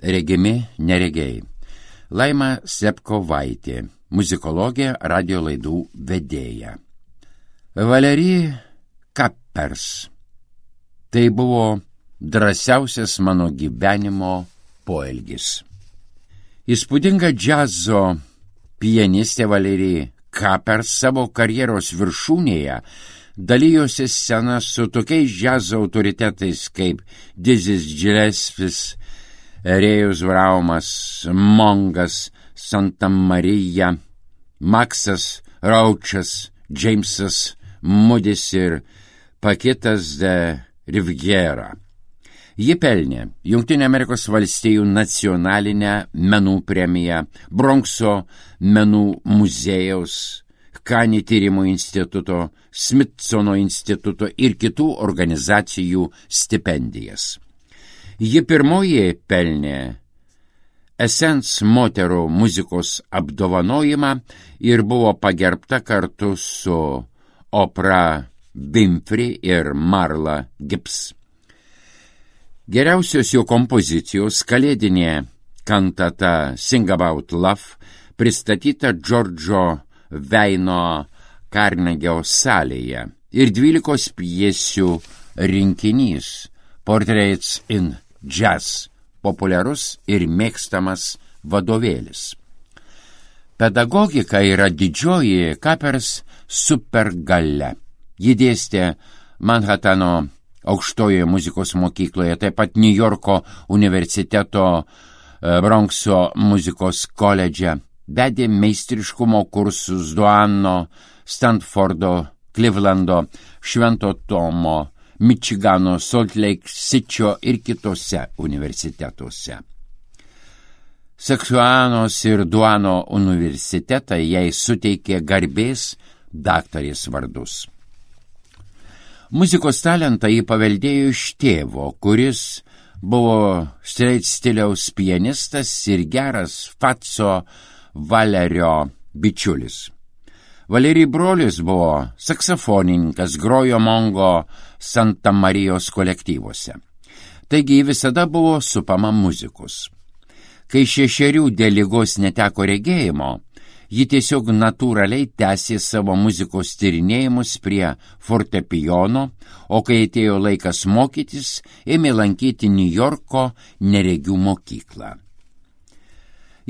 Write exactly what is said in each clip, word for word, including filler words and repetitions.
regimi neregiai. Laima Slepkovaitė, muzikologė, radio laidų vedėja. Valery Kapers. Tai buvo drąsiausias mano gyvenimo poelgis. Įspūdinga džiazo pianistė Valery Kapers savo karjeros viršūnėje dalijosi sceną su tokiais džiazo autoritetais kaip Dizzy Gillespie, Rėjus Vraumas, Mongas, Santa Marija, Maksas Raučas, Džeimsas Mudis ir Pakitas de Riviera. Ji pelnė Jungtinių Amerikos valstijų nacionalinę menų premiją, Bronkso menų muziejaus, Kani tyrimų instituto, Smithsono instituto ir kitų organizacijų stipendijas. Ji pirmoji pelnė Essence moterų muzikos apdovanojimą ir buvo pagerbta kartu su Oprah Winfrey ir Marla Gibbs. Geriausios jo kompozicijos kalėdinė kantata Sing About Love pristatyta Džordžo Veino Karnegio salėje ir dvylikos pjesių rinkinys Portraits in Jazz, populiarus ir mėgstamas vadovėlis. Pedagogika yra didžioji Kapers supergalia. Ji dėstė Manhatano aukštojoje muzikos mokykloje, taip pat New Yorko universiteto Bronkso muzikos koledže, vedė meistriškumo kursus Duano, Stanfordo, Clevelando, Švento Tomo, Mičigano, Salt Lake City'o ir kitose universitetuose. Seksuanos ir Duano universitetai jai suteikė garbės daktarės vardus. Muzikos talentą jį paveldėjo iš tėvo, kuris buvo straight stiliaus pianistas ir geras Fatso Valerio bičiulis. Valery brolis buvo saksofonininkas, grojo Mongo Santa Marijos kolektyvuose. Taigi visada buvo supama muzikos. Kai šešerių dėl ligos neteko regėjimo, ji tiesiog natūraliai tęsė savo muzikos tyrinėjimus prie fortepijono, o kai atėjo laikas mokytis, ėmė lankyti New Yorko neregių mokyklą.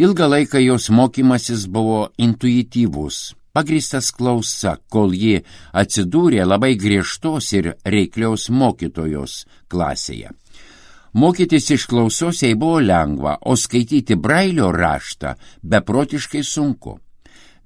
Ilgą laiką jos mokymasis buvo intuityvus, pagrįstas klausa, kol ji atsidūrė labai griežtos ir reiklios mokytojos klasėje. Mokytis iš klausos jai buvo lengva, o skaityti Brailio raštą beprotiškai sunku.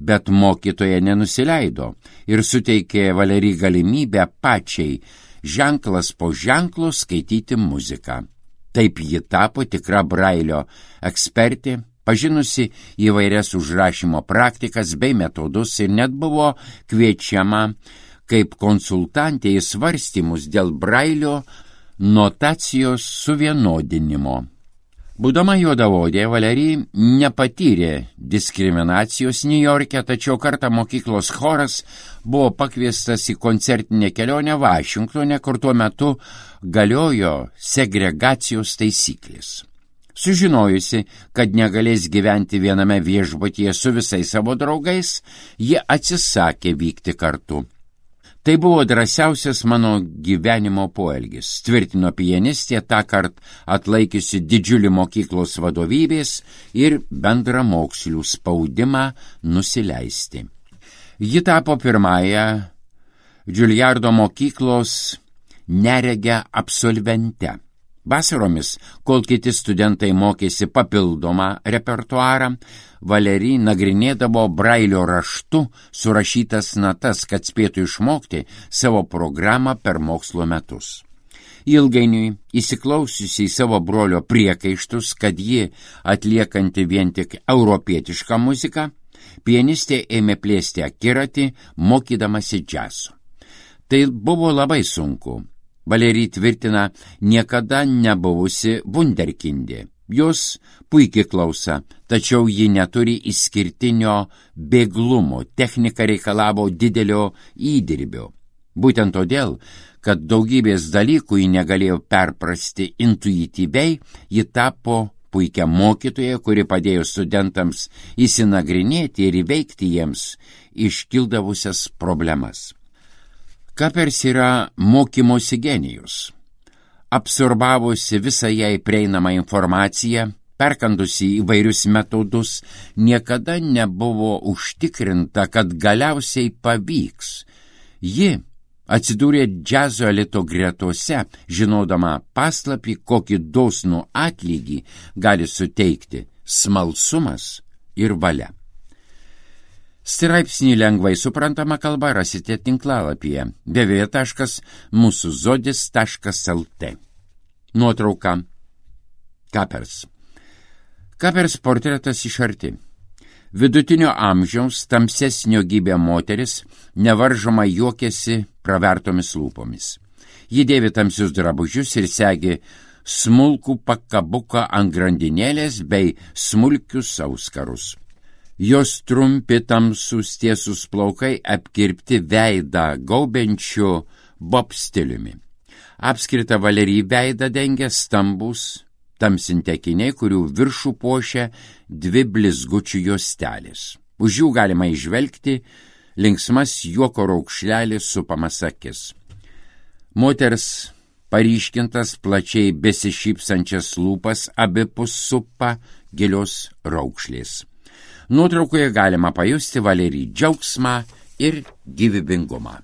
Bet mokytoja nenusileido ir suteikė Valery galimybę pačiai ženklas po ženklo skaityti muziką. Taip ji tapo tikra Brailio ekspertė, pažinusi įvairias užrašymo praktikas bei metodus ir net buvo kviečiama kaip konsultantė į svarstymus dėl Brailio notacijos suvienodinimo. Būdama juodaodė, Valery nepatyrė diskriminacijos Niujorke, tačiau kartą mokyklos choras buvo pakviestas į koncertinę kelionę Vašingtone, kur tuo metu galiojo segregacijos taisyklės. Sužinojusi, kad negalės gyventi viename viešbutyje su visais savo draugais, ji atsisakė vykti kartu. Tai buvo drąsiausias mano gyvenimo poelgis, tvirtino pianistė, tąkart atlaikiusi didžiulį mokyklos vadovybės ir bendramokslių spaudimą nusileisti. Ji tapo pirmąją Juilliardo mokyklos neregę absolvente. Vasaromis, kol kiti studentai mokėsi papildomą repertuarą, Valery nagrinėdavo Brailio raštu surašytas natas, kad spėtų išmokti savo programą per mokslo metus. Ilgainiui, įsiklausiusi į savo brolio priekaištus, kad ji atliekanti vien tik europietišką muziką, pianistė ėmė plėsti akiratį, mokydamasi džiazo. Tai buvo labai sunku. Valery tvirtina niekada nebuvusi vunderkindė. Jos puikiai klausa, tačiau ji neturi išskirtinio bėglumo, technika reikalavo didelio įdirbio. Būtent todėl, kad daugybės dalykų ji negalėjo perprasti intuityviai, ji tapo puikia mokytoja, kuri padėjo studentams įsinagrinėti ir įveikti jiems iškildavusias problemas. Kapers yra mokymosi genijus. Absorbavusi visą jai prieinamą informaciją, perkandusi įvairius metodus, niekada nebuvo užtikrinta, kad galiausiai pavyks. Ji atsidūrė džiazo elito gretose, žinodama paslapį, kokį dosnų atlygį gali suteikti smalsumas ir valia. Straipsnį lengvai suprantama kalba rasite tinklalapyje w w w taškas mūsų zodis taškas l t. Nuotrauka. Kapers. Kapers portretas iš arti. Vidutinio amžiaus tamsesnio gybė moteris nevaržoma juokėsi pravertomis lūpomis. Ji dėvi tamsius drabužius ir segi smulkų pakabuką ant grandinėlės bei smulkius auskarus. Jos trumpi tamsus tiesus plaukai apkirpti veidą gaubiančiu bob stiliumi. Apskritą Valerijai veidą dengia stambus tamsinti akiniai, kurių viršų puošia dvi blizgučių juostelės. Už jų galima įžvelgti linksmas juoko raukšlelis supamas akis. Moters paryškintas plačiai besišypsančias lūpas abipus supa gilios raukšlės. Nuotraukoje galima pajusti Valerijai džiaugsmą ir gyvybingumą.